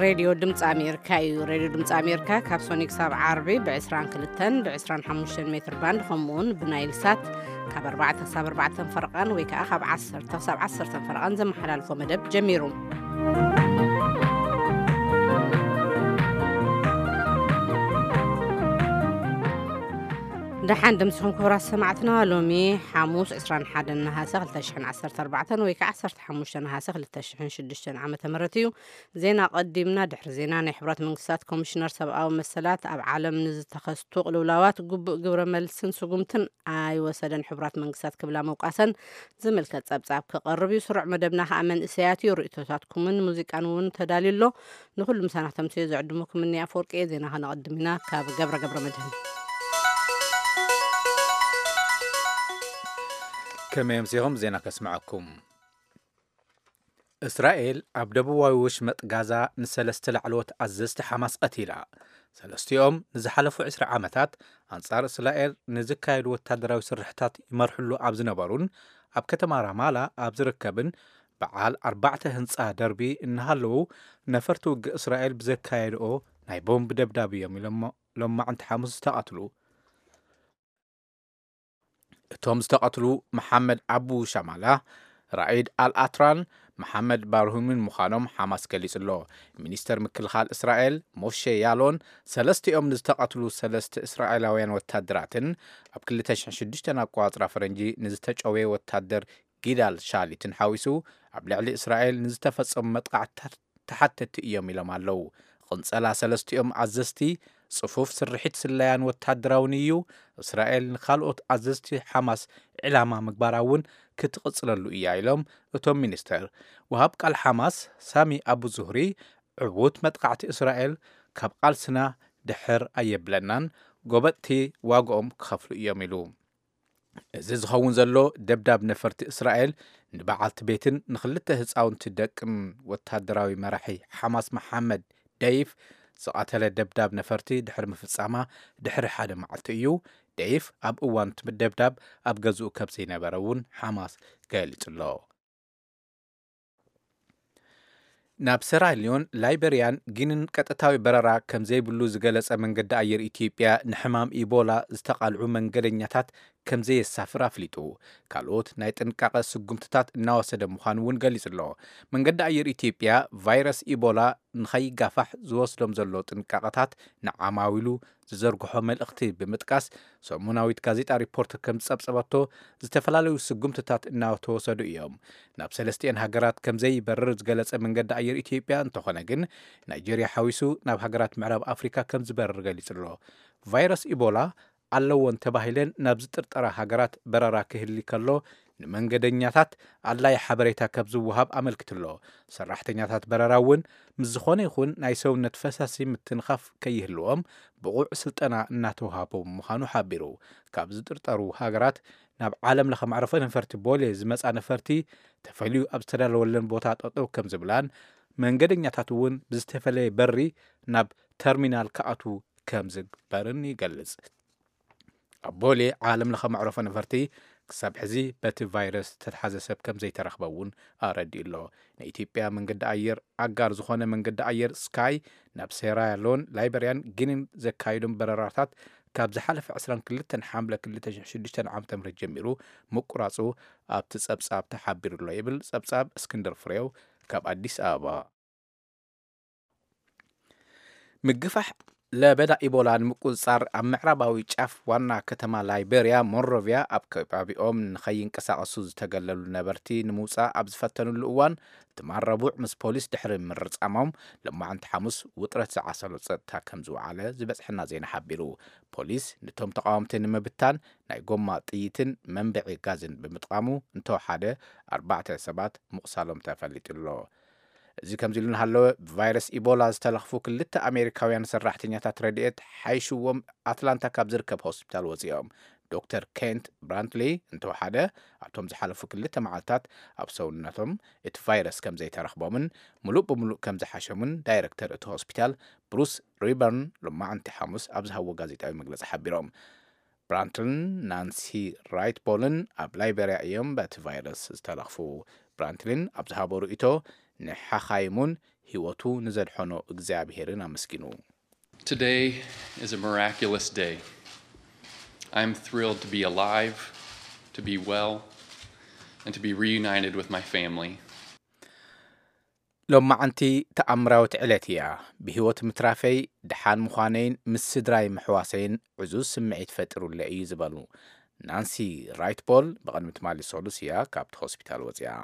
ሬድዮ ድምፂ ኣሜሪካ እዩ። ሬድዮ ድምፂ ኣሜሪካ ካብ ሶኒ ክሳብ ዓርቢ ብ22 ብ25 ሜትር ባንድ፣ ከምኡውን ብናይል ሳት ካብ ኣርባዕተ ክሳብ ኣርባዕተ ፈረቓን ወይ ከዓ ካብ ዓሰርተ ክሳብ ዓሰርተ ፈረቓን ዘመሓላልፎ መደብ ጀሚሩ። ደሓን ድምፅኹም ክቡራት ሰማዕትና። ሎሚ ሓሙስ ዕስራን ሓደን ነሃሰ ክልተ ሽሕን ዓሰርተ ኣርባዕተን ወይ ከዓ ዓሰርተ ሓሙሽተ ነሃሰ ክልተ ሽሕን ሽዱሽተን ዓመተ ምህረት እዩ። ዜና ቀዲምና። ድሕሪ ዜና፣ ናይ ሕቡራት መንግስታት ኮሚሽነር ሰብኣዊ መሰላት ኣብ ዓለም ንዝተኸስቱ ቅልውላዋት ግቡእ ግብረ መልስን ስጉምትን ኣይወሰደን ሕቡራት መንግስታት ክብላ መውቃሰን ዝምልከት ጸብጻብ ክቐርብ እዩ። ስሩዕ መደብና ከኣ መንእሰያት እዩ። ርእይቶታትኩምን ሙዚቃን እውን ተዳልዩ ኣሎ። ንኹሉ ምሳና ክተምስዮ ዝዕድሙኩም እኒ ኣፈወርቂ እየ። ዜና ከነቐድም ኢና ካብ ገብረ ገብረ መድህን። ከመይ ኣምሲኹም? ዜና ከስምዐኩም። እስራኤል ኣብ ደቡባዊ ወሽመጥ ጋዛ ንሰለስተ ላዕለዎት ኣዘዝቲ ሓማስ ቀቲላ። ሰለስቲኦም ንዝሓለፉ ዕስራ ዓመታት ኣንጻር እስራኤል ንዝካየዱ ወታደራዊ ስርሕታት ይመርሕሉ ኣብ ዝነበሩን ኣብ ከተማ ራማላ ኣብ ዝርከብን በዓል ኣርባዕተ ህንጻ ደርቢ እናሃለዉ፣ ነፈርቲ ውግእ እስራኤል ብዘካየድኦ ናይ ቦምብ ደብዳብ እዮም ኢሎም ሎማዕንቲ ሓሙስ ዝተቐትሉ። እቶም ዝተቐትሉ መሓመድ ኣቡ ሻማላ፣ ራኢድ ኣልኣትራን መሓመድ ባርሁምን ምዃኖም ሓማስ ገሊጹ ኣሎ። ሚኒስተር ምክልኻል እስራኤል ሞሼ ያሎን፣ ሰለስቲኦም ንዝተቐትሉ ሰለስተ እስራኤላውያን ወታደራትን ኣብ ክልተ ሽሕን ሽዱሽተን ኣቆጻጽራ ፈረንጂ ንዝተጨወየ ወታደር ጊዳል ሻሊትን ሓዊሱ ኣብ ልዕሊ እስራኤል ንዝተፈጸሙ መጥቃዕትታት ተሓተትቲ እዮም ኢሎም ኣለዉ። ቕንጸላ ሰለስቲኦም ኣዘዝቲ ጽፉፍ ስርሒት ስለያን ወታደራውን እዩ። እስራኤል ንኻልኦት ኣዘዝቲ ሓማስ ዕላማ ምግባራ እውን ክትቕጽለሉ እያ ኢሎም እቶም ሚኒስተር። ወሃብ ቃል ሓማስ ሳሚ ኣቡ ዙህሪ፣ ዕዉት መጥቃዕቲ እስራኤል ካብ ቃልስና ድሕር ኣየብለናን፣ ጎበጥቲ ዋግኦም ክኸፍሉ እዮም ኢሉ። እዚ ዝኸውን ዘሎ፣ ደብዳብ ነፈርቲ እስራኤል ንበዓልቲ ቤትን ንኽልተ ህጻውንቲ ደቅን ወታደራዊ መራሒ ሓማስ መሓመድ ደይፍ ዝቐተለ ደብዳብ ነፈርቲ ድሕሪ ምፍጻማ ድሕሪ ሓደ መዓልቲ እዩ። ደይፍ ኣብ እዋን እቲ ደብዳብ ኣብ ገዝኡ ከም ዘይነበረ እውን ሓማስ ገሊጹ ኣሎ። ናብ ሰራሊዮን ላይበርያን ጊኒን ቀጥታዊ በረራ ከም ዘይብሉ ዝገለጸ መንገዲ ኣየር ኢትዮጵያ፣ ንሕማም ኢቦላ ዝተቓልዑ መንገደኛታት ከም ዘየሳፍር ኣፍሊጡ። ካልኦት ናይ ጥንቃቐ ስጉምትታት እናወሰደ ምዃኑ እውን ገሊጹ ኣሎ። መንገዲ ኣየር ኢትዮጵያ፣ ቫይረስ ኢቦላ ንኸይጋፋሕ ዝወስዶም ዘሎ ጥንቃቐታት ንዓማዊሉ ዝዘርግሖ መልእኽቲ ብምጥቃስ፣ ሰሙናዊት ጋዜጣ ሪፖርተር ከም ዝጸብጸበቶ፣ ዝተፈላለዩ ስጉምትታት እናተወሰዱ እዮም። ናብ ሰለስቲኤን ሃገራት ከም ዘይበርር ዝገለጸ መንገዲ ኣየር ኢትዮጵያ እንተኾነ ግን፣ ናይጄርያ ሓዊሱ ናብ ሃገራት ምዕራብ ኣፍሪካ ከም ዝበርር ገሊጹ ኣሎ። ቫይረስ ኢቦላ ኣለወን ተባሂለን ናብ ዝጥርጠራ ሃገራት በረራ ክህሊ ከሎ፣ ንመንገደኛታት ኣድላይ ሓበሬታ ከም ዝወሃብ ኣመልኪቱ ኣሎ። ሰራሕተኛታት በረራ እውን ምስ ዝኾነ ይኹን ናይ ሰውነት ፈሳሲ ምትንኻፍ ከይህልዎም ብቑዕ ስልጠና እናተውሃቦም ምዃኑ ሓቢሩ። ካብ ዝጥርጠሩ ሃገራት ናብ ዓለም ለኸ መዕረፎ ነፈርቲ ቦሌ ዝመጻ ነፈርቲ ተፈልዩ ኣብ ዝተዳለወለን ቦታ ጠጠው ከም ዝብላን፣ መንገደኛታት እውን ብዝተፈለየ በሪ ናብ ተርሚናል ክኣትዉ ከም ዝግበርን ይገልጽ። ኣብ ቦሌ ዓለም ለኸ መዕረፎ ነፈርቲ ክሳብ ሕዚ በቲ ቫይረስ ዝተትሓዘ ሰብ ከም ዘይተረኽበ እውን ኣረዲኡ ኣሎ። ናይ ኢትዮጵያ መንገዲ ኣየር ኣጋር ዝኾነ መንገዲ ኣየር ስካይ፣ ናብ ሴራሊዮን፣ ላይበርያን ጊኒን ዘካይዶም በረራታት ካብ ዝሓለፈ ዕስራን ክልተን ሓምለ ክልተ ሽሕን ሽዱሽተን ዓመተ ምህረት ጀሚሩ ምቁራጹ ኣብቲ ጸብጻብ ተሓቢሩ ኣሎ ይብል ጸብጻብ እስክንድር ፍሬው ካብ ኣዲስ ኣበባ። ምግፋሕ ለበዳ ኢቦላ ንምቁጽጻር፣ ኣብ ምዕራባዊ ጫፍ ዋና ከተማ ላይቤርያ ሞንሮቪያ ኣብ ከባቢኦም ንኸይንቀሳቐሱ ዝተገለሉ ነበርቲ ንምውጻእ ኣብ ዝፈተኑሉ እዋን፣ ትማል ረቡዕ ምስ ፖሊስ ድሕሪ ምርጻሞም፣ ሎማዕንቲ ሓሙስ ውጥረት ዝዓሰሎ ጸጥታ ከም ዝወዓለ ዝበጽሐና ዜና ሓቢሩ። ፖሊስ ንቶም ተቓወምቲ ንምብታን ናይ ጎማ ጥይትን መንብዒ ጋዝን ብምጥቃሙ፣ እንተወሓደ ኣርባዕተ ሰባት ምቑሳሎም ተፈሊጡ ኣሎ። እዚ ከምዚ ኢሉ እናሃለወ፣ ብቫይረስ ኢቦላ ዝተለኽፉ ክልተ ኣሜሪካውያን ሰራሕተኛታት ረድኤት ሓይሽዎም ኣትላንታ ካብ ዝርከብ ሆስፒታል ወፂኦም። ዶክተር ኬንት ብራንትሊ እንተወሓደ፣ ኣብቶም ዝሓለፉ ክልተ መዓልታት ኣብ ሰውነቶም እቲ ቫይረስ ከም ዘይተረኽቦምን ምሉእ ብምሉእ ከም ዝሓሸሙን ዳይረክተር እቲ ሆስፒታል ብሩስ ሪበርን ሎማዕንቲ ሓሙስ ኣብ ዝሃብዎ ጋዜጣዊ መግለፂ ሓቢሮም። ብራንትልን ናንሲ ራይትቦልን ኣብ ላይቤርያ እዮም በቲ ቫይረስ ዝተለኽፉ። ብራንትሊን ኣብ ዝሃቦ ርእይቶ፣ ንሓኻይሙን ህይወቱ ንዘድሐኖ እግዚኣብሄርን ኣመስጊኑ። Today is a miraculous day. I'm thrilled to be alive, to be well, and to be reunited with my family. ሎማዓንቲ ተኣምራዊት ዕለት እያ። ብህይወት ምትራፈይ፣ ድሓን ምዃነይን ምስ ስድራይ ምሕዋሰይን ዕዙዝ ስምዒት ፈጢሩለይ እዩ ዝበሉ ናንሲ ራይትቦል ብቕድሚ ትማሊ ሰሉስ እያ ካብቲ ሆስፒታል ወፂኣ።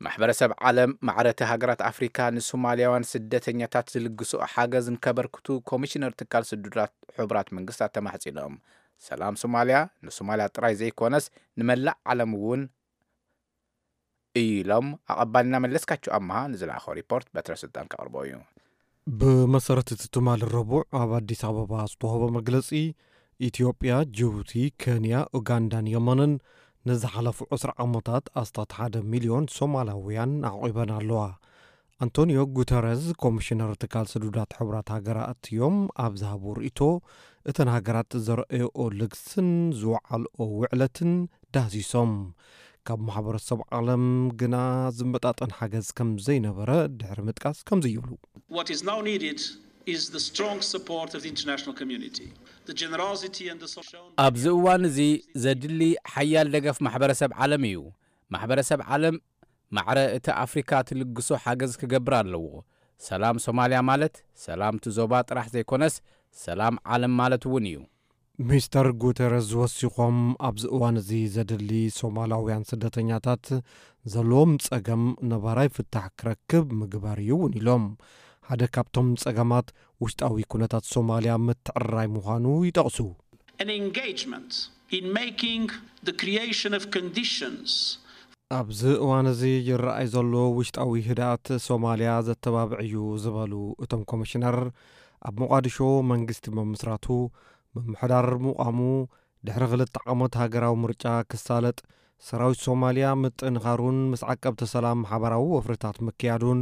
ማሕበረሰብ ዓለም ማዕረቲ ሃገራት ኣፍሪካ ንሶማልያውያን ስደተኛታት ዝልግስኦ ሓገዝ ንከበርክቱ ኮሚሽነር ትካል ስዱዳት ሕቡራት መንግስታት ተማሕፂኖም። ሰላም ሶማልያ ንሶማልያ ጥራይ ዘይኮነስ ንመላእ ዓለም እውን እዩ ኢሎም ኣቐባልና መለስካቸው ኣመሃ ንዝለኣኸው ሪፖርት በትረ ስልጣን ከቕርቦ እዩ። ብመሰረት እቲ ትማሊ ረቡዕ ኣብ ኣዲስ ኣበባ ዝተዋህበ መግለጺ፣ ኢትዮጵያ፣ ጅቡቲ፣ ኬንያ፣ ኡጋንዳን የመንን ንዝሓለፉ ዕስራ ዓመታት ኣስታት ሓደ ሚልዮን ሶማላውያን ኣዕቒበን ኣለዋ። ኣንቶኒዮ ጉተረዝ ኮሚሽነር ትካል ስዱዳት ሕቡራት ሃገራት እዮም ኣብ ዝሃቡ ርእይቶ፣ እተን ሃገራት ዘረኣየኦ ልግስን ዝወዓልኦ ውዕለትን ዳህሲሶም። ካብ ማሕበረሰብ ዓለም ግና ዝመጣጠን ሓገዝ ከም ዘይነበረ ድሕሪ ምጥቃስ ከምዚ ይብሉ። What is now needed is the strong support of the international community. The generosity and the social ኣብዚ እዋን እዚ ዘድሊ ሓያል ደገፍ ማሕበረሰብ ዓለም እዩ። ማሕበረሰብ ዓለም ማዕረ እቲ ኣፍሪካ ትልግሶ ሓገዝ ክገብር ኣለዎ። ሰላም ሶማልያ ማለት ሰላም እቲ ዞባ ጥራሕ ዘይኮነስ ሰላም ዓለም ማለት እውን እዩ። ሚስተር ጉተረዝ ወሲኾም፣ ኣብዚ እዋን እዚ ዘድሊ ሶማላውያን ስደተኛታት ዘለዎም ጸገም ነባራይ ፍታሕ ክረክብ ምግባር እዩ እውን ኢሎም። ሓደ ካብቶም ጸገማት ውሽጣዊ ኩነታት ሶማልያ ምትዕርራይ ምዃኑ ይጠቕሱ። An engagement in making the creation of conditions ኣብዚ እዋን እዚ ይረኣይ ዘሎ ውሽጣዊ ህድኣት ሶማልያ ዘተባብዕ እዩ ዝበሉ እቶም ኮሚሽነር፣ ኣብ ሞቓዲሾ መንግስቲ ምምስራቱ፣ ምምሕዳር ምቋሙ፣ ድሕሪ ክልተ ዓመት ሃገራዊ ምርጫ ክሳለጥ፣ ሰራዊት ሶማልያ ምጥንኻሩን ምስ ዓቀብቲ ሰላም ሓበራዊ ወፍርታት ምክያዱን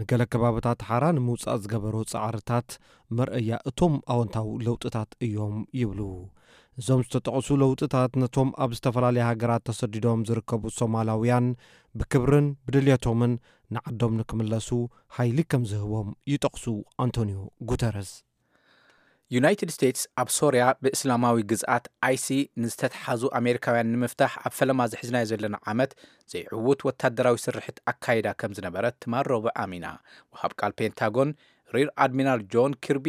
ንገለ ከባብታት ሓራ ንምውጻእ ዝገበሮ ጻዕርታት መርኣያ እቶም ኣወንታዊ ለውጥታት እዮም ይብሉ። እዞም ዝተጠቕሱ ለውጥታት ነቶም ኣብ ዝተፈላለያ ሃገራት ተሰዲዶም ዝርከቡ ሶማላውያን ብክብርን ብድልየቶምን ንዓዶም ንክምለሱ ሓይሊ ከም ዝህቦም ይጠቕሱ ኣንቶኒዮ ጉተረስ። ዩናይትድ ስቴትስ ኣብ ሶርያ ብእስላማዊ ግዝኣት ኣይሲ ንዝተትሓዙ ኣሜሪካውያን ንምፍታሕ ኣብ ፈለማ ዝሕዝናዮ ዘለና ዓመት ዘይዕዉት ወታደራዊ ስርሕት ኣካይዳ ከም ዝነበረት ትማል ረቡዕ ኣሚና። ወሃብ ቃል ፔንታጎን ሪር ኣድሚራል ጆን ኪርቢ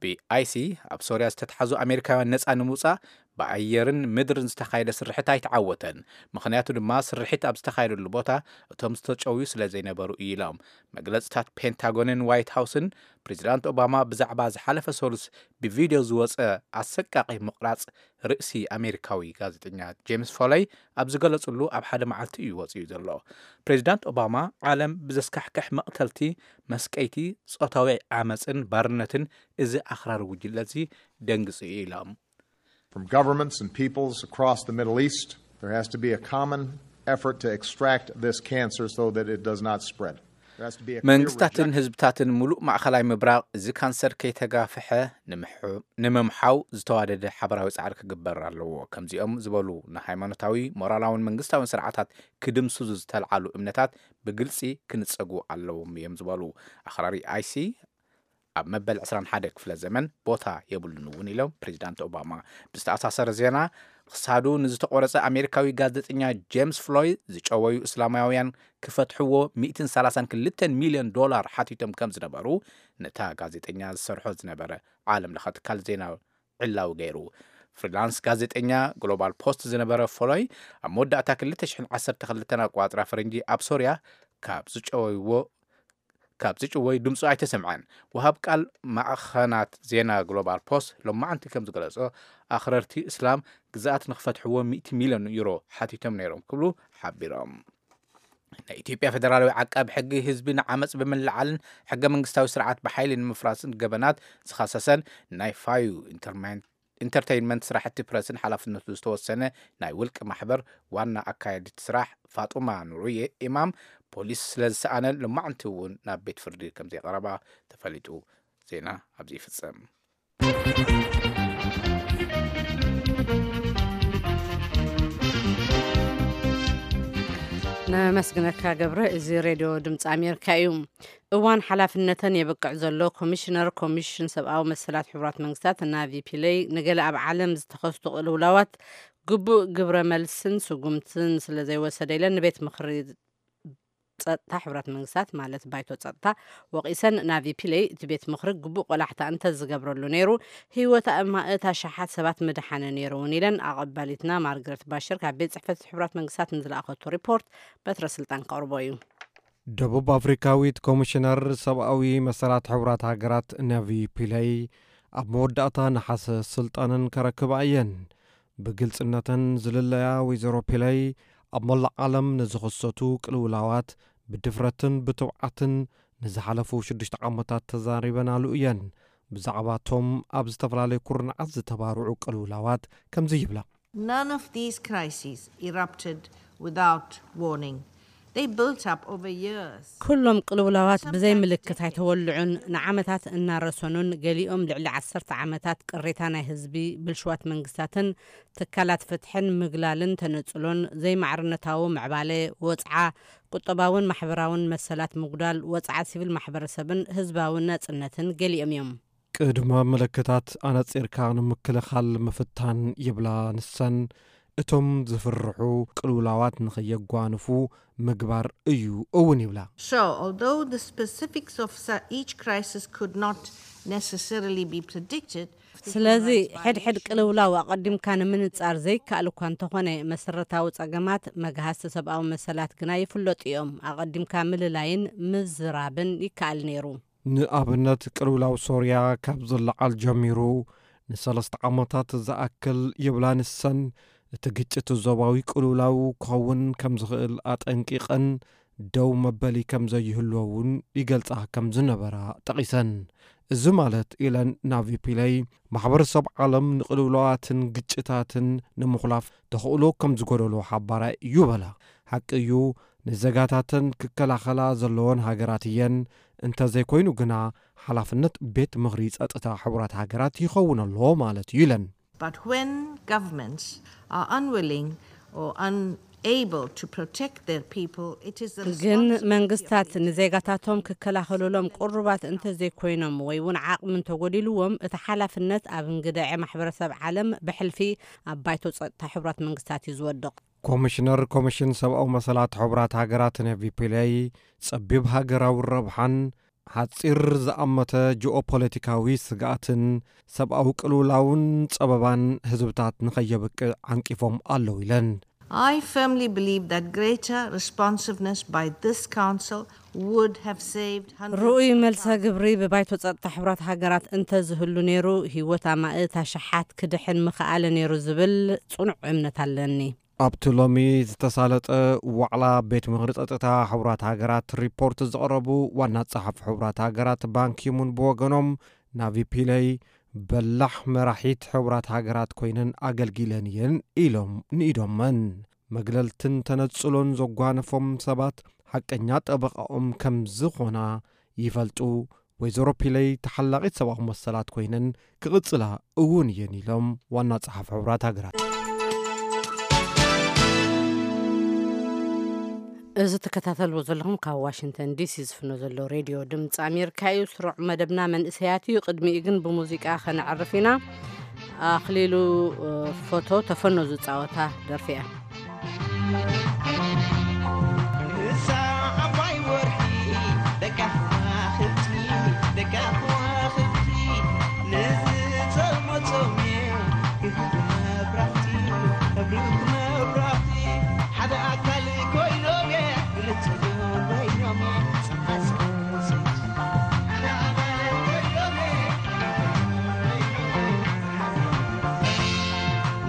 ብኣይሲ ኣብ ሶርያ ዝተትሓዙ ኣሜሪካውያን ነፃ ንምውፃእ ብኣየርን ምድርን ዝተኻየደ ስርሕት ኣይተዓወተን። ምኽንያቱ ድማ ስርሒት ኣብ ዝተኻየደሉ ቦታ እቶም ዝተጨውዩ ስለ ዘይነበሩ እዩ ኢሎም። መግለፅታት ፔንታጎንን ዋይት ሃውስን ፕሬዚዳንት ኦባማ ብዛዕባ ዝሓለፈ ሰሉስ ብቪድዮ ዝወፀ ኣሰቃቒ ምቕራፅ ርእሲ ኣሜሪካዊ ጋዜጠኛ ጄምስ ፎለይ ኣብ ዝገለፅሉ ኣብ ሓደ መዓልቲ እዩ ወፂኡ ዘሎ። ፕሬዚዳንት ኦባማ ዓለም ብዘስካሕክሕ መቕተልቲ፣ መስቀይቲ፣ ፆታዊ ዓመፅን ባርነትን እዚ ኣኽራሪ ጉጅለ እዚ ደንግፁ እዩ ኢሎም። From governments and peoples across the Middle East, there has to be a common effort to extract this cancer so that it does not spread. There has to be a clear መንግስታትን rejection. ህዝብታትን ሙሉእ ማእኸላይ ምብራቕ እዚ ካንሰር ከይተጋፍሐ ንምሕ- ንምምሓው ዝተዋደደ ሓበራዊ ጻዕሪ ክግበር ኣለዎ። ከምዚኦም ዝበሉ ንሃይማኖታዊ፣ ሞራላውን መንግስታውን ስርዓታት ክድምስሱ ዝተልዓሉ እምነታት ብግልፂ ክንፀጉ ኣለዎም እዮም ዝበሉ ኣኽራሪ ኣይሲ ኣብ መበል ዕስራን ሓደ ክፍለ ዘመን ቦታ የብሉን እውን ኢሎም ፕሬዚዳንት ኦባማ። ብዝተኣሳሰረ ዜና፣ ክሳዱ ንዝተቆረፀ ኣሜሪካዊ ጋዜጠኛ ጄምስ ፍሎይ ዝጨወዩ እስላማውያን ክፈትሕዎ ሚእትን ሰላሳን ክልተን ሚልዮን ዶላር ሓቲቶም ከም ዝነበሩ ነታ ጋዜጠኛ ዝሰርሖ ዝነበረ ዓለም ለኸ ትካል ዜና ዕላዊ ገይሩ። ፍሪላንስ ጋዜጠኛ ግሎባል ፖስት ዝነበረ ፎሎይ ኣብ መወዳእታ ክልተ ሽሕን ዓሰርተ ክልተን ኣቋፅራ ፈረንጂ ኣብ ሶርያ ካብ ዝጨወይዎ ካብ ዝጭወይ ድምፁ ኣይተሰምዐን። ወሃብ ቃል ማዕኸናት ዜና ግሎባል ፖስት ሎማዓንቲ ከም ዝገለጾ ኣኽረርቲ እስላም ግዝኣት ንክፈትሕዎ ሚእቲ ሚልዮን ዩሮ ሓቲቶም ነይሮም ክብሉ ሓቢሮም። ናይ ኢትዮጵያ ፌደራላዊ ዓቃቢ ሕጊ ህዝቢ ንዓመፅ ብምልዓልን ሕገ መንግስታዊ ስርዓት ብሓይሊ ንምፍራስን ገበናት ዝኸሰሰን ናይ ፋዩ ኢንተርማይን ኢንተርተይንመንት ስራሕቲ ፕረስን ሓላፍነቱ ዝተወሰነ ናይ ውልቂ ማሕበር ዋና ኣካየዲት ስራሕ ፋጡማ ኑሩየ ኢማም ፖሊስ ስለ ዝሰኣነን ሎማዕንቲ እውን ናብ ቤት ፍርዲ ከም ዘይቀረባ ተፈሊጡ። ዜና ኣብዚ ይፍጸም። ነመስግነካ ገብረ። እዚ ሬድዮ ድምፂ ኣሜሪካ እዩ። እዋን ሓላፍነተን የብቅዕ ዘሎ ኮሚሽነር ኮሚሽን ሰብኣዊ መሰላት ሕቡራት መንግስታት ናቪ ፒለይ፣ ንገለ ኣብ ዓለም ዝተኸስቱ ቅልውላዋት ግቡእ ግብረ መልስን ስጉምትን ስለ ዘይወሰደ ኢለን ንቤት ምኽሪ ጸጥታ ሕቡራት መንግስታት፣ ማለት ባይቶ ጸጥታ፣ ወቒሰን። ናቪ ፒለይ እቲ ቤት ምኽሪ ግቡእ ቆላሕታ እንተዝገብረሉ ነይሩ፣ ህይወት ኣማእት ኣሽሓት ሰባት ምድሓነ ነይሩ እውን ኢለን። ኣቐባሊትና ማርግረት ባሽር ካብ ቤት ጽሕፈት ሕቡራት መንግስታት ንዝለኣኸቶ ሪፖርት በትረ ስልጣን ከቕርቦ እዩ። ደቡብ ኣፍሪካዊት ኮሚሽነር ሰብኣዊ መሰላት ሕቡራት ሃገራት ናቪ ፒለይ ኣብ መወዳእታ ነሓሰ ስልጣነን ከረክባ እየን። ብግልጽነተን ዝልለያ ወይዘሮ ፒለይ ኣብ መላእ ዓለም ንዝኽሰቱ ቅልውላዋት ብድፍረትን ብትብዓትን ንዝሓለፉ ሽዱሽተ ዓመታት ተዛሪበናሉ እየን። ብዛዕባቶም ኣብ ዝተፈላለዩ ኩርናዓት ዝተባርዑ ቅልውላዋት ከምዚ ይብላ። None of these crises erupted without warning. They built up over years. ኩሎም ቅልውላዋት ብዘይ ምልክት ኣይተወልዑን፣ ንዓመታት እናረሰኑን፣ ገሊኦም ልዕሊ ዓሰርተ ዓመታት ቅሬታ ናይ ህዝቢ፣ ብልሽዋት መንግስታትን ትካላት ፍትሕን ምግላልን ተነጽሎን፣ ዘይማዕርነታዊ ምዕባለ፣ ወጽዓ፣ ቁጠባውን ማሕበራውን መሰላት ምጉዳል፣ ወጽዓ ሲቪል ማሕበረሰብን ህዝባዊ ናጽነትን ገሊኦም እዮም። ቅድመ ምልክታት ኣነጺርካ ንምክልኻል ምፍታን ይብላ ንሰን። እቶም ዝፍርሑ ቅልውላዋት ንኸየጓንፉ ምግባር እዩ እውን ይብላ። So, although the specifics of su- each crisis could not necessarily be predicted, ስለዚ ሕድሕድ ቅልውላው ኣቐዲምካ ንምንጻር ዘይከኣል እኳ እንተኾነ፣ መሰረታዊ ጸገማት መግሃስቲ ሰብኣዊ መሰላት ግና ይፍለጡ እዮም። ኣቐዲምካ ምልላይን ምዝራብን ይከኣል ነይሩ። ንኣብነት ቅልውላው ሶርያ ካብ ዝለዓል ጀሚሩ ንሰለስተ ዓመታት ዝኣክል ይብላ ንሰን፣ እቲ ግጭት ዞባዊ ቅልውላው ክኸውን ከም ዝኽእል ኣጠንቂቐን ደው መበሊ ከም ዘይህልዎ እውን ይገልጻ ከም ዝነበራ ጠቒሰን። እዚ ማለት ኢለን ናቪ ፒለይ ማሕበረሰብ ዓለም ንቅልውላዋትን ግጭታትን ንምኹላፍ ተኽእሎ ከም ዝጎደሎ ሓባራይ እዩ በላ። ሓቂ እዩ፣ ንዜጋታተን ክከላኸላ ዘለዎን ሃገራት እየን። እንተዘይኮይኑ ግና ሓላፍነት ቤት ምኽሪ ጸጥታ ሕቡራት ሃገራት ይኸውን ኣሎ ማለት እዩ ኢለን። But when governments are unwilling or unable to protect their people, it is the ግን responsibility of መንግስታት the ንዜጋታቶም ክከላኸሉሎም ቅሩባት እንተዘይኮይኖም ወይ እውን ዓቕሚ እንተጎዲልዎም፣ እቲ ሓላፍነት ኣብ እንግድዐ ማሕበረሰብ ዓለም ብሕልፊ ኣብ ባይቶ ጸጥታ ሕቡራት መንግስታት እዩ ዝወድቕ። ኮሚሽነር ኮሚሽን ሰብኣዊ መሰላት ሕቡራት ሃገራት ነቪ ፒለይ ጸቢብ ሃገራዊ ረብሓን ሓጺር ዝኣመተ ጂኦፖለቲካዊ ስግኣትን ሰብኣዊ ቅልውላውን ጸበባን ህዝብታት ንኸየብቅዕ ዓንቂፎም ኣለዉ ኢለን። I firmly believe that greater responsiveness by this council would have saved hundreds ርኡይ of መልሰ thousands. ግብሪ ብባይቶ ጸጥታ ሕቡራት ሃገራት እንተዝህሉ ነይሩ፣ ህይወት ኣማእት ኣሽሓት ክድሕን ምኽኣለ ነይሩ ዝብል ጽኑዕ እምነት ኣለኒ። ኣብቲ ሎሚ ዝተሳለጠ ዋዕላ ቤት ምኽሪ ጸጥታ ሕቡራት ሃገራት ሪፖርት ዘቕረቡ ዋና ጸሓፊ ሕቡራት ሃገራት ባንኪሙን ብወገኖም፣ ናቪ ፒለይ በላሕ መራሒት ሕቡራት ሃገራት ኮይነን ኣገልጊለን እየን ኢሎም ንኢዶመን። መግለልትን ተነጽሎን ዘጓነፎም ሰባት ሓቀኛ ጠበቓኦም ከም ዝኾና ይፈልጡ። ወይዘሮ ፒለይ ተሓላቒት ሰብኣዊ መሰላት ኮይነን ክቕጽላ እውን እየን ኢሎም ዋና ጸሓፊ ሕቡራት ሃገራት። እዚ ትከታተልዎ ዘለኹም ካብ ዋሽንግተን ዲሲ ዝፍኖ ዘሎ ሬድዮ ድምፂ ኣሜሪካ እዩ። ስሩዕ መደብና መንእሰያት እዩ። ቅድሚኡ ግን ብሙዚቃ ከነዕርፍ ኢና። ኣኽሊሉ፣ እ፣ ፎቶ ተፈኖ ዝፃወታ ደርፊ እያ። ንሳ ዓባይ ወርሒ ደቃ ከዋኽብቲ፣ ደቃ ከዋኽብቲ፣ ነዚ ጸልሞ ጾምየ ክህብ መብራህቲ፣ ከብርህ መብራህቲ፣ ሓደ ኣካል ኮይኖምየ፣ ብልጽ ኮይኖምየ፣ ጸሓይ ሰይቲ፣ ሓደ ኣካል ኮይኖምየ፣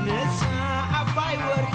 ንሳ ዓባይ ወርሒ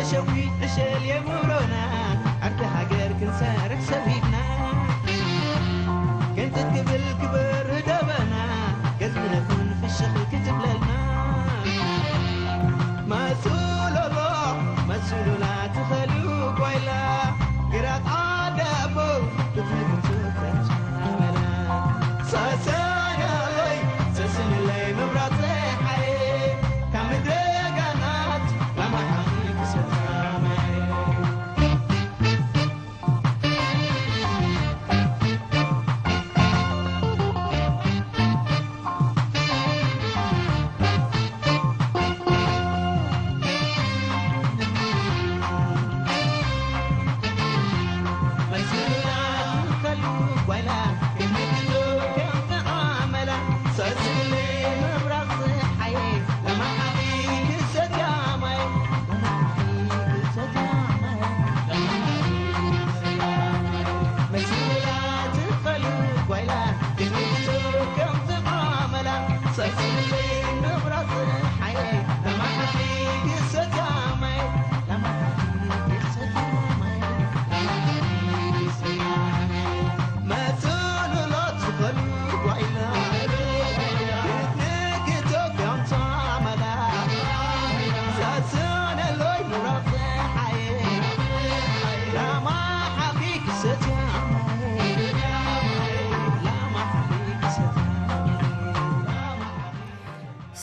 ሸዊት ዕሸል የምሮና፣ ዓርኪ ሃገር ክንሰርሕ ሰዊድና። ክንጥጥ ክብል ክበር ደበና፣ ገዝሚ ነኹን ፍሽኽ ክትብለልና። መሱሎሎ፣ መሱሉላ ትኸሉ ጓይላ፣ ግራት ዓደቦ፣ ክትንክቱ ተቻመላ። ሰሰናለይ፣ ሰስንለይ መብራት ፀሓይ፣ ካብ ምድረ ጋናት፣ ላማሓኺ ክሰታማይ።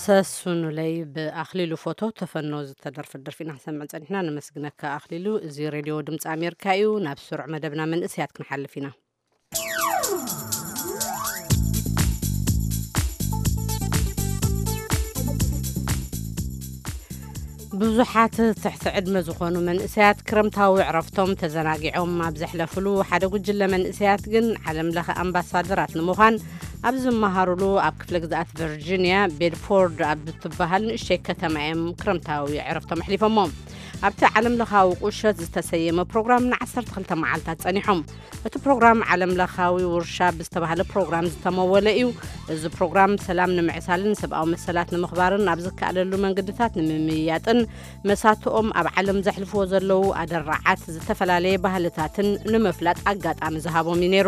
ሰሱኑለይ ብኣኽሊሉ ፎቶ ተፈኖ ዝተደርፈት ደርፊ ኢና ክንሰምዕ ጸኒሕና። ነመስግነካ ኣኽሊሉ። እዚ ሬድዮ ድምፂ ኣሜሪካ እዩ። ናብ ስሩዕ መደብና መንእሰያት ክንሓልፍ ኢና። ብዙሓት ትሕቲ ዕድመ ዝኾኑ መንእሰያት ክረምታዊ ዕረፍቶም ተዘናጊዖም ኣብ ዘሕለፉሉ፣ ሓደ ጉጅለ መንእሰያት ግን ዓለም ለኸ ኣምባሳደራት ንምዃን ኣብ ዝመሃሩሉ ኣብ ክፍለ ግዝኣት ቨርጂንያ ቤድፎርድ ኣብ እትበሃል ንእሽተይ ከተማ እዮም ክረምታዊ ዕረፍቶም ኣሕሊፎሞ። ኣብቲ ዓለም ለኻዊ ቁሸት ዝተሰየመ ፕሮግራም ን12 መዓልታት ጸኒሖም። እቲ ፕሮግራም ዓለም ለኻዊ ውርሻ ብዝተባህለ ፕሮግራም ዝተመወለ እዩ። እዚ ፕሮግራም ሰላም ንምዕሳልን ሰብኣዊ መሰላት ንምኽባርን ኣብ ዝከኣለሉ መንገድታት ንምምይያጥን መሳትኦም ኣብ ዓለም ዘሕልፍዎ ዘለዉ ኣደራዓት ዝተፈላለየ ባህልታትን ንምፍላጥ ኣጋጣሚ ዝሃቦም እዩ ነይሩ።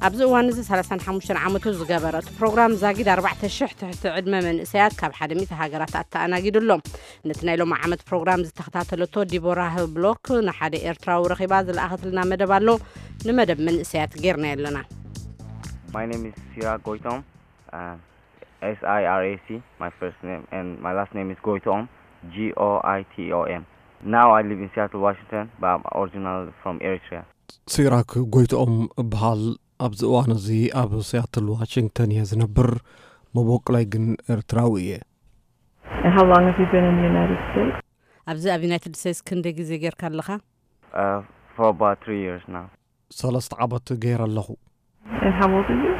ኣብዚ እዋን እዚ 35 ዓመቱ ዝገበረ እቲ ፕሮግራም ዛጊድ 4,000 ትሕቲ ዕድመ መንእሰያት ካብ ሓደ ሚእቲ ሃገራት ኣተኣናጊዱ ኣሎ። ነቲ ናይ ሎሚ ዓመት ፕሮግራም ዝተኸታተለቶ ዲቦራ ህብሎክ ንሓደ ኤርትራዊ ረኺባ ዝለኣኸትልና መደብ ኣሎ። ንመደብ መንእሰያት ጌርናዮ ኣለና። My name is Sirac Goitom, uh, S I R A C, my first name, and my last name is Goitom, G O I T O M. Now I live in Seattle, Washington, but I'm original from Eritrea. ሲራክ ጎይትኦም እበሃል። ኣብዚ እዋን እዚ ኣብ ሲያትል ዋሽንግተን እየ ዝነብር። መበቆላይ ግን ኤርትራዊ እየ። And how long have you been in the United States? ኣብዚ ኣብ ዩናይትድ ስቴትስ ክንደይ ግዜ ጌርካ ኣለኻ? Uh, for about three years now. ሰለስተ ዓመት ገይረ ኣለኹ። And how old are you?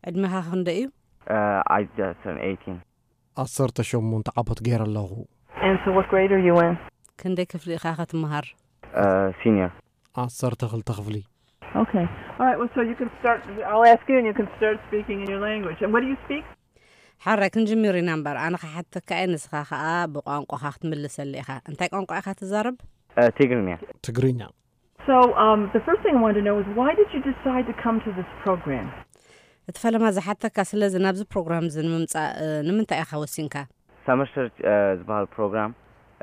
ዕድሜኻ ክንደይ እዩ? Uh, I just turned eighteen. ዓሰርተ ሸሞንተ ዓመት ገይረ ኣለኹ። And so what grade are you in? ክንደይ ክፍሊ ኢኻ ክትመሃር? Uh, senior. ዓሰርተ ክልተ ክፍሊ። Okay. All right. Well, so you can start. I'll ask you, and you can start speaking in your language. And what do you speak? ሓራይ ክንጅምር ኢና እምበር፣ ኣነ ክሓተካ እየ፣ ንስኻ ኸኣ ብቋንቋኻ ክትምልሰሊ ኢኻ። እንታይ ቋንቋ ኢኻ ትዛረብ? Uh, Tigrinya. ትግርኛ። So, um, the first thing I wanted to know is, why did you decide to come to this program? እቲ ፈለማ ዝሓተካ፣ ስለዚ ናብዚ ፕሮግራም እዚ ንምምጻእ፣ እ፣ ንምንታይ ኢኻ ወሲንካ? Summer Search, uh, ዝበሃል ፕሮግራም፣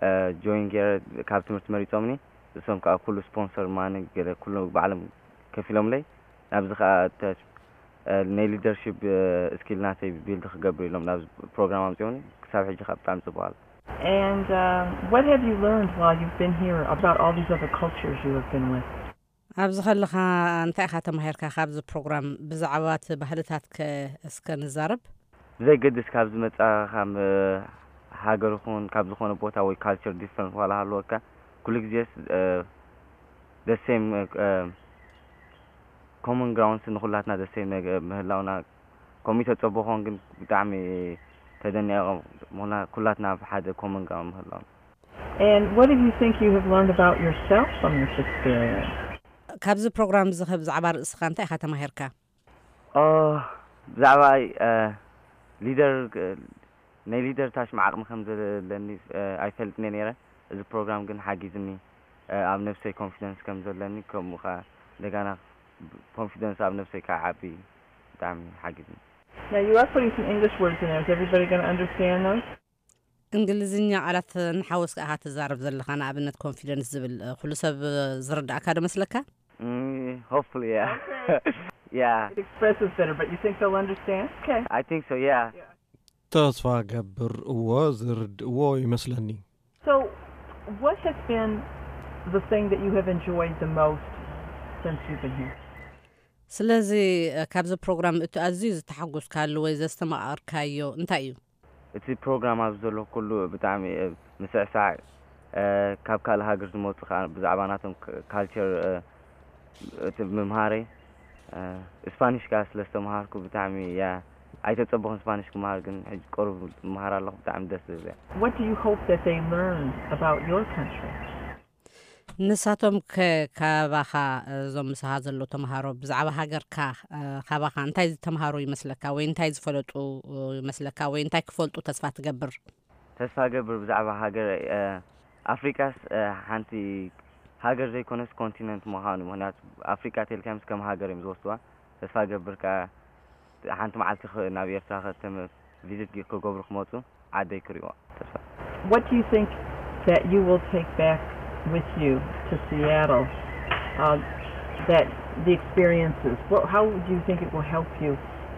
uh, ጆይን ገይረ ካብ ትምህርቲ መሪጾምኒ። እሶም ከኣ ኩሉ ስፖንሰር ማኒ ገለ ኩሉ ባዕሎም ከፊሎምለይ። ናብዚ ከኣ ተ-፣ uh፣ ናይ ሊደርሺፕ፣ uh፣ ስኪል ናተይ ቢልድ ክገብር ኢሎም ናብዚ ፕሮግራም ኣምጺኦምኒ። ክሳብ ሕጂ ከኣ ብጣዕሚ ጽቡቕ ኣሎ። And, um, what have you learned while you've been here about all these other cultures you have been with? ኣብዚ ከለኻ እንታይ ኢኻ ተማሂርካ ካብዚ ፕሮግራም? ብዛዕባ እቲ ባህልታት ከ እስከ ንዛረብ። ብዘይገድስ ካብ ዝመጻኻ ሃገር ይኹን ካብ ዝኾነ ቦታ ወይ ካልቸር ዲፈረንስ ዋላ ሃለወካ፣ ኩሉ ግዜስ፣ እ፣ the same፣ እ፣ ኮመን ግራውንድስ ንኹላትና the same ነገ-፣ ምህላውና ከምኡ ተጸበኾን ግን ብጣዕሚ ተደኒቐ። ምኽንያቱ ኩላትና ኣብ ሓደ ኮመን ግራውንድ ምህላውና። And what do you think you have learned about yourself from this experience? ካብዚ ፕሮግራም እዚ ከ ብዛዕባ ርእስኻ እንታይ ኢኻ ተማሂርካ? ኦ፣ ብዛዕባ፣ እ፣ ሊደር፣ እ፣ ናይ ሊደር ታሽም ዓቕሚ ከም ዘለኒ፣ እ፣ ኣይፈልጥን እየ ነይረ። እዚ ፕሮግራም ግን ሓጊዝኒ። ኣብ ነብሰይ ኮንፊደንስ ከም ዘለኒ፣ ከምኡ ከዓ እንደገና ኮንፊደንስ ኣብ ነብሰይ ከዓ ዓቢ ብጣዕሚ ሓጊዝኒ። Now you are putting some English words in there. Is everybody going to understand those? እንግሊዝኛ ቃላት ንሓወስ ከኣ ትዛረብ ዘለኻ፣ ንኣብነት ኮንፊደንስ ዝብል ኩሉ ሰብ ዝርዳእካ ዶ መስለካ? Hopefully, yeah. Yeah. It expresses better, but you think they'll understand? Okay. I think so, yeah. ተስፋ ገብር እዎ ዝርድእዎ ይመስለኒ። So, what has been the thing that you have enjoyed the most since you've been here? ስለዚ ካብዚ ፕሮግራም እቲ ኣዝዩ ዝተሓጎስካሉ ወይ ዘስተማቐርካዮ እንታይ እዩ? እቲ ፕሮግራም ኣብዚ ዘሎ ኩሉ ብጣዕሚ ምስዕሳዕ፣ ካብ ካልእ ሃገር ዝመፁ ከዓ ብዛዕባ ናቶም ካልቸር እቲ ምምሃረይ፣ ስፓኒሽ ከዓ ስለ ዝተምሃርኩ ብጣዕሚ እያ ኣይተፀበኹን። ስፓኒሽ ክምሃር ግን ሕጂ ቅሩብ ምሃር ኣለኹ። ብጣዕሚ ደስ ዝብል እያ። What do you hope that they learn about your country? ንሳቶም ከ ካባኻ እዞም ምሳኻ ዘለዉ ተምሃሮ ብዛዕባ ሃገርካ ካባኻ እንታይ ዝተምሃሩ ይመስለካ ወይ እንታይ ዝፈለጡ ይመስለካ ወይ እንታይ ክፈልጡ ተስፋ ትገብር? ተስፋ ገብር ብዛዕባ ሃገር ኣፍሪቃስ ሓንቲ ሃገር ዘይኮነስ ኮንቲነንት ምዃኑ። ምክንያቱ ኣፍሪቃ ተልካምስ ከም ሃገር እዮም ዝወስድዋ። ተስፋ ገብር ከዓ ሓንቲ መዓልቲ ናብ ኤርትራ ከተም ቪዚት ክገብሩ ክመፁ ዓደይ ክሪእዋ ተስፋ። What do you think that you will take back with you to Seattle? Uh, that the experiences. What, how do you think it will help you?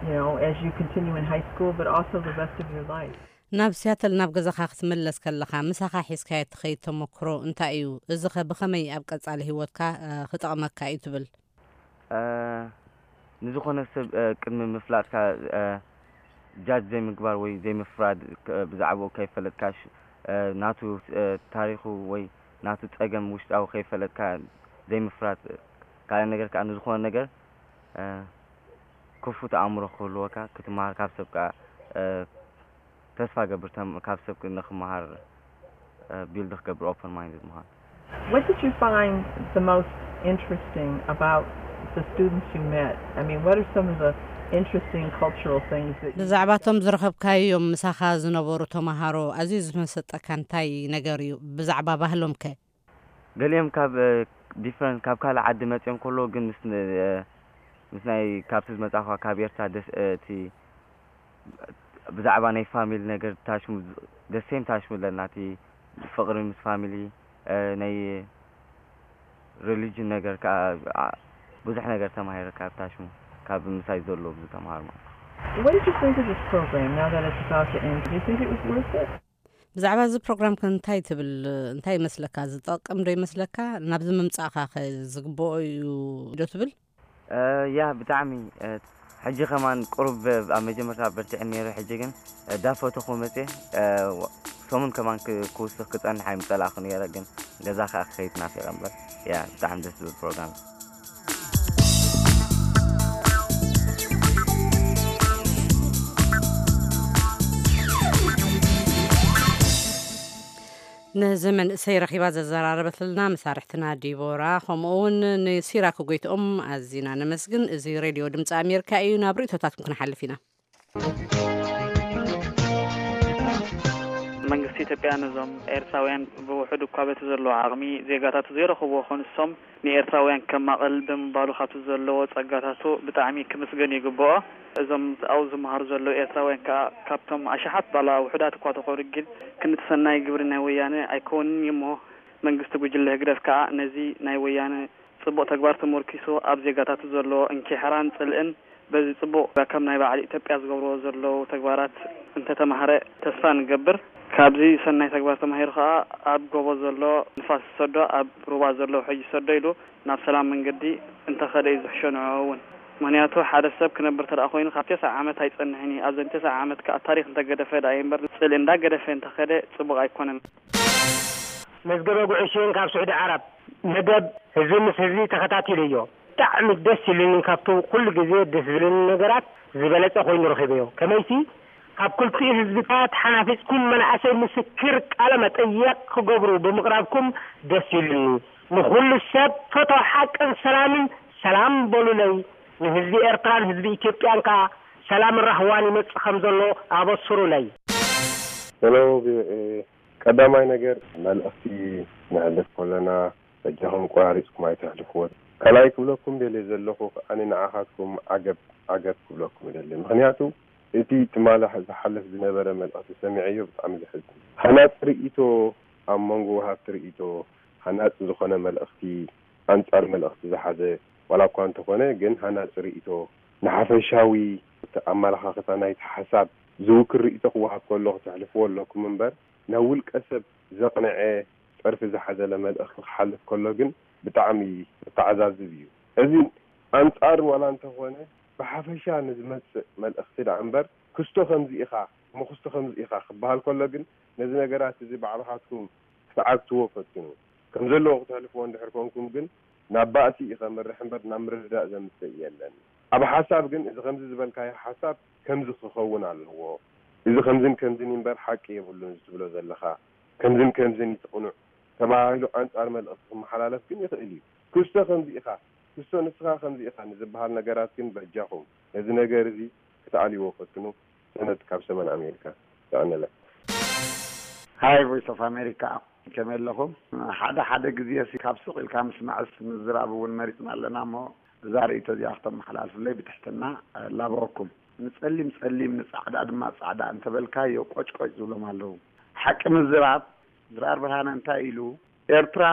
You know, as you continue in high school, but also the rest of your life. ናብ ሲያትል ናብ ገዛኻ ክትምለስ ከለኻ ምሳኻ ሒዝካዮ እትኸይድ ተመክሮ እንታይ እዩ? እዚ ኸ ብኸመይ ኣብ ቀጻሊ ህይወትካ ክጠቕመካ እዩ ትብል? ንዝኾነ ሰብ ቅድሚ ምፍላጥካ ጃጅ ዘይምግባር ወይ ዘይምፍራድ፣ ብዛዕባኡ ከይፈለጥካ፣ ናቱ ታሪኹ ወይ ናቱ ጸገም ውሽጣዊ ከይፈለጥካ ዘይምፍራድ። ካልእ ነገር ከዓ ንዝኾነ ነገር ክፉት ኣእምሮ ክህልወካ ክትመሃር ካብ ሰብ ከዓ ተስፋ ገብር ካብ ሰብ ንክመሃር ቢልድ ክገብር ኦፕን ማይንድድ ምዃን። What did you find the most interesting about the students you met? I mean, what are some of the interesting cultural things that you ብዛዕባቶም ዝረኸብካዮም ምሳኻ ዝነበሩ ተምሃሮ ኣዝዩ ዝመሰጠካ እንታይ ነገር እዩ ብዛዕባ ባህሎም ከ? ገሊኦም ካብ ዲፍረንት ካብ ካልእ ዓዲ መጺኦም ከለዉ ግን ምስ ምስ ናይ ካብቲ ዝመጻእኳ ካብ ኤርትራ ደስ እቲ ብዛዕባ ናይ ፋሚሊ ነገር ታሽሙ ደሴም ታሽሙ ኣለና። እቲ ፍቕሪ ምስ ፋሚሊ ናይ ሪሊጅን ነገር ከዓ ብዙሕ ነገር ተማሂረ ካብ ታሽሙ ካብ ምሳይ ዘሎ ብዙ ተምሃር ማለት። What did you think of this program now that it's about to end? Do you think it was worth it? ብዛዕባ እዚ ፕሮግራም ከ እንታይ ትብል? እንታይ ይመስለካ? ዝጠቅም ዶ ይመስለካ? ናብዚ ምምጻእካ ከ ዝግብኦ እዩ ዶ ትብል? ያ ብጣዕሚ ሕጂ ከማን ቁሩብ ኣብ መጀመርታ በርቲዐ ነይረ። ሕጂ ግን ዳፈተኹ መፅየ። ሰሙን ከማን ክውስኽ ክፀንሕ ኣይምፀላእኹ ነይረ፣ ግን ገዛ ከዓ ክኸይድ ናፊቐ እምበር። ያ ብጣዕሚ ደስ ዝብል ፕሮግራም። ነዚ መንእሰይ ረኺባ ዘዘራረበትልና መሳርሕትና ዲቦራ፣ ከምኡ እውን ንሲራክ ጎይትኦም ኣዚና ነመስግን። እዚ ሬድዮ ድምፂ ኣሜሪካ እዩ። ናብ ርእቶታትኩም ክንሓልፍ ኢና። መንግስቲ ኢትዮጵያ ነዞም ኤርትራውያን ብውሑድ እኳ በቲ ዘለዎ ዓቕሚ ዜጋታቱ ዘይረኸብዎ ክኾኑ ንሶም ንኤርትራውያን ከማቕል ብምባሉ ካብቲ ዘለዎ ጸጋታቱ ብጣዕሚ ክምስገን ይግብኦ። እዞም ኣብኡ ዝመሃሩ ዘለዉ ኤርትራውያን ከኣ ካብቶም ኣሽሓት ባላ ውሑዳት እኳ ተኾኑ ግን ክንዲ ሰናይ ግብሪ ናይ ወያነ ኣይከውንን እዩ እሞ መንግስቲ ጉጅለ ህግደፍ ከኣ ነዚ ናይ ወያነ ጽቡቕ ተግባር ተመርኪሱ ኣብ ዜጋታቱ ዘሎ እንኪሕራን ጽልእን በዚ ጽቡቕ ከም ናይ በዓል ኢትዮጵያ ዝገብርዎ ዘለዉ ተግባራት እንተተማህረ ተስፋ ንገብር። ካብዚ ሰናይ ተግባር ተማሂሩ ከኣ ኣብ ጎቦ ዘሎ ንፋስ ዝሰዶ ኣብ ሩባ ዘሎ ውሕጅ ይሰዶ ኢሉ ናብ ሰላም መንገዲ እንተኸደ እዩ ዝሕሾ ንዕኡ እውን። ምኽንያቱ ሓደ ሰብ ክነብር ተደኣ ኮይኑ ካብ ተስዓ ዓመት ኣይጸንሕን እዩ። ኣብዘን ተስዓ ዓመት ከኣ ታሪኽ እንተገደፈ ደኣ እዩ እምበር ጽልኢ እንዳገደፈ እንተኸደ ጽቡቕ ኣይኮነን። መዝገበ ጉዕሽን ካብ ስዑዲ ዓረብ። መደብ ህዝቢ ምስ ህዝቢ ተኸታቲለዮ። ብጣዕሚ ደስ ኢሉኒ። ካብቲ ኩሉ ግዜ ደስ ዝብለኒ ነገራት ዝበለጸ ኮይኑ ረኺበዮ። ከመይሲ ካብ ክልቲኡ ህዝብታት ሓናፊጽኩም መናእሰይ ምስክር ቃለ መጠየቕ ክገብሩ ብምቕራብኩም ደስ ኢሉኒ። ንኹሉ ሰብ ፈቶ ሓቅን ሰላምን ሰላም በሉለይ። ንህዝቢ ኤርትራን ህዝቢ ኢትዮጵያን ከኣ ሰላምን ራህዋን ይመጽእ ከም ዘሎ ኣበስሩለይ። ሄሎ ቪኦኤ፣ ቀዳማይ ነገር፣ መልእኽቲ ነሕልፍ ከለና በጃኹም ቆራሪጽኩም ኣይተሕልፍዎ። ካልኣይ ክብለኩም ደልየ ዘለኹ ከኣ፣ ንዓኻትኩም ዓገብ ዓገብ ክብለኩም ይደሊ። ምኽንያቱ እቲ ትማሊ ዝሓልፍ ዝነበረ መልእኽቲ ሰሚዐዮ፣ ብጣዕሚ ዘሕዝን። ሃናጺ ርእይቶ፣ ኣብ መንጎ ወሃብቲ ርእይቶ ሃናጺ ዝኾነ መልእኽቲ፣ ኣንጻር መልእኽቲ ዝሓዘ ዋላ እኳ እንተኾነ፣ ግን ሃናጺ ርእይቶ፣ ንሓፈሻዊ ኣመለኻኽታ ናይቲ ሓሳብ ዝውክል ርእይቶ ክወሃብ ከሎ ክተሕልፍዎ ኣለኩም እምበር፣ ናብ ውልቀ ሰብ ዘቕንዐ ጸርፊ ዝሓዘለ መልእኽቲ ክሓልፍ ከሎ ግን ብጣዕሚ ዘተዓዛዝብ እዩ። እዚ ኣንጻር ዋላ እንተኾነ፣ ብሓፈሻ ንዝመጽእ መልእኽቲ ደኣ እምበር፣ ክስቶ ከምዚ ኢኻ፣ እሞ ክስቶ ከምዚ ኢኻ ክበሃል ከሎ ግን፣ ነዚ ነገራት እዚ ባዕልኻትኩም ክትዓግትዎ ፈትኑ። ከም ዘለዎ ክተሕልፍዎ እንድሕር ኮንኩም ግን፣ ናብ ባእሲ እዩ ከምርሕ እምበር፣ ናብ ምርድዳእ ዘምጽእ የለን። ኣብ ሓሳብ ግን፣ እዚ ከምዚ ዝበልካዮ ሓሳብ ከምዚ ክኸውን ኣለዎ፣ እዚ ከምዝን ከምዝን እምበር ሓቂ የብሉን እዚ ትብሎ ዘለኻ፣ ከምዝን ከምዝን እዩ እቲ ቅኑዕ ተባሂሉ ኣንጻር መልእኽቲ ክመሓላለፍ ግን ይኽእል እዩ። ክስቶ ከምዚ ኢኻ፣ ክስቶ ንስኻ ከምዚ ኢኻ ንዝበሃል ነገራት ግን በጃኹም ነዚ ነገር እዚ ክትኣልይዎ ፈትኑ። ሰነድ ካብ ሰሜን ኣሜሪካ። ጥዕና። ሃይ ቮይስ ኦፍ ኣሜሪካ፣ ከመይ ኣለኹም? ሓደ ሓደ ግዜ ሲ ካብ ስቕ ኢልካ ምስማዕስ ምዝራብ እውን መሪጽና ኣለና እሞ፣ እዛ ርእይቶ እዚኣ ክተመሓላልፉለይ ብትሕትና እላበወኩም። ንጸሊም ጸሊም፣ ንጻዕዳ ድማ ጻዕዳ እንተበልካዮ ቆጭቆጭ ዝብሎም ኣለዉ። ሓቂ ምዝራብ ድራር ብርሃነ እንታይ ኢሉ? ኤርትራ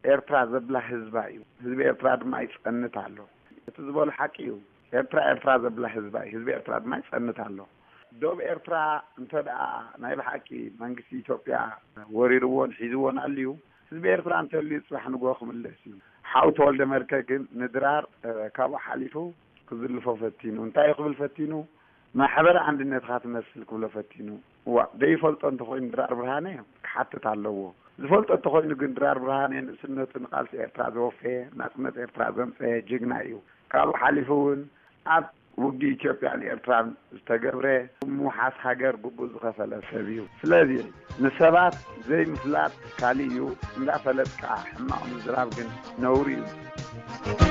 ኤርትራ ዘብላ ህዝባ እዩ፣ ህዝቢ ኤርትራ ድማ ይጸንት ኣሎ። እቲ ዝበሎ ሓቂ እዩ። ኤርትራ ኤርትራ ዘብላ ህዝባ እዩ፣ ህዝቢ ኤርትራ ድማ ይጸንት ኣሎ። ዶብ ኤርትራ እንተ ደኣ ናይ ብሓቂ መንግስቲ ኢትዮጵያ ወሪርዎን ሒዝዎን ኣልዩ፣ ህዝቢ ኤርትራ እንተልዩ ጽባሕ ንግሆ ክምለስ እዩ። ሓው ተወልደ መድከ ግን ንድራር ካብኡ ሓሊፉ ክዝልፎ ፈቲኑ። እንታይ እዩ ክብል ፈቲኑ? ማሕበር ኣንድነትኻ ትመስል ክብሎ ፈቲኑ። እዋ ደይፈልጦ እንተኾይኑ ድራር ብርሃነ ክሓትት ኣለዎ። ዝፈልጦ እንተኾይኑ ግን ድራር ብርሃነ ንእስነቱ ንቃልሲ ኤርትራ ዘወፈየ፣ ናጽነት ኤርትራ ዘምጸየ ጅግና እዩ። ካብኡ ሓሊፉ እውን ኣብ ውግእ ኢትዮጵያን ኤርትራን ዝተገብረ ምውሓስ ሃገር ግቡእ ዝኸፈለ ሰብ እዩ። ስለዚ ንሰባት ዘይምፍላጥ ካሊእ እዩ፣ እንዳፈለጥካ ሕማቕ ምዝራብ ግን ነውሪ እዩ።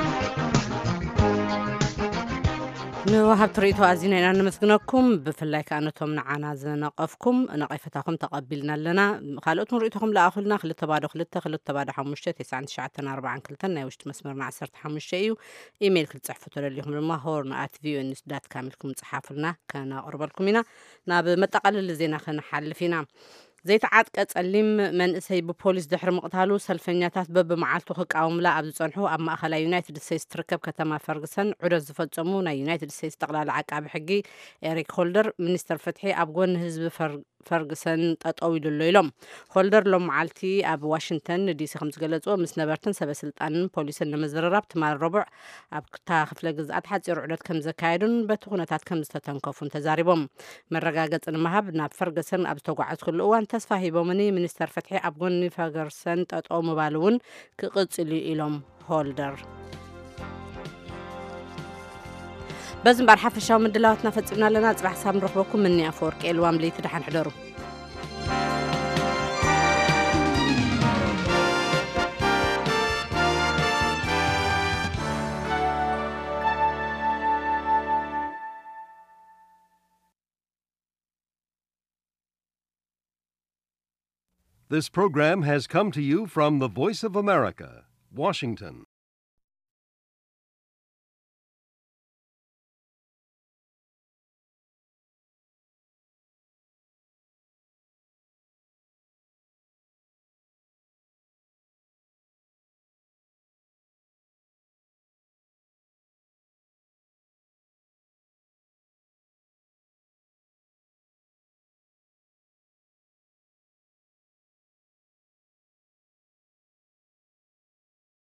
ንወሃብቲ ርእይቶ ኣዚና ኢና ነመስግነኩም። ብፍላይ ከኣ ነቶም ንዓና ዝነቐፍኩም ነቐፈታኹም ተቐቢልና ኣለና። ካልኦት ንርእይቶኹም ለኣኹልና። ክልተ ባዶ ክልተ ክልተ ባዶ ሓሙሽተ ተስዓን ትሽዓተን ኣርባዓን ክልተን ናይ ውሽጢ መስመርና ዓሰርተ ሓሙሽተ እዩ። ኢሜይል ክትጽሕፉ ተደሊኹም ድማ ሆርን ኣት ቪኦኤ ኒውስ ዳት ካም ኢልኩም ጽሓፉልና፣ ከነቕርበልኩም ኢና። ናብ መጠቓለሊ ዜና ክንሓልፍ ኢና። ዘይተዓጥቀ ጸሊም መንእሰይ ብፖሊስ ድሕሪ ምቕታሉ፣ ሰልፈኛታት በብመዓልቱ ክቃወሙላ ኣብ ዝጸንሑ ኣብ ማእኸላይ ዩናይትድ ስቴትስ ትርከብ ከተማ ፈርግሰን ዑደት ዝፈጸሙ ናይ ዩናይትድ ስቴትስ ጠቕላሊ ዓቃቢ ሕጊ ኤሪክ ሆልደር፣ ሚኒስተር ፍትሒ ኣብ ጎኒ ህዝቢ ፈርግሰን ጠጠው ኢሉ ኣሎ ኢሎም። ሆልደር ሎም መዓልቲ ኣብ ዋሽንግተን ዲሲ ከም ዝገለጽዎ፣ ምስ ነበርትን ሰበ ስልጣንን ፖሊስን ንምዝርራብ ትማል ረቡዕ ኣብ ክታ ክፍለ ግዝኣት ሓጺር ዑደት ከም ዘካየዱን በቲ ኩነታት ከም ዝተተንከፉን ተዛሪቦም። መረጋገጺ ንምሃብ ናብ ፈርገሰን ኣብ ዝተጓዓዝኩሉ እዋን ተስፋ ሂቦምኒ፣ ሚኒስተር ፍትሒ ኣብ ጎኒ ፈርገሰን ጠጠው ምባል እውን ክቕጽል እዩ ኢሎም ሆልደር። በዚ እምበር ሓፈሻዊ ምድላዋትና ፈጺምና ኣለና። ጽባሕ ሳብ ንረኽበኩም። ምኒ ኣፈወርቂ የልዋም ለይቲ ደሓን ሕደሩ። This program has come to you from the Voice of America, Washington.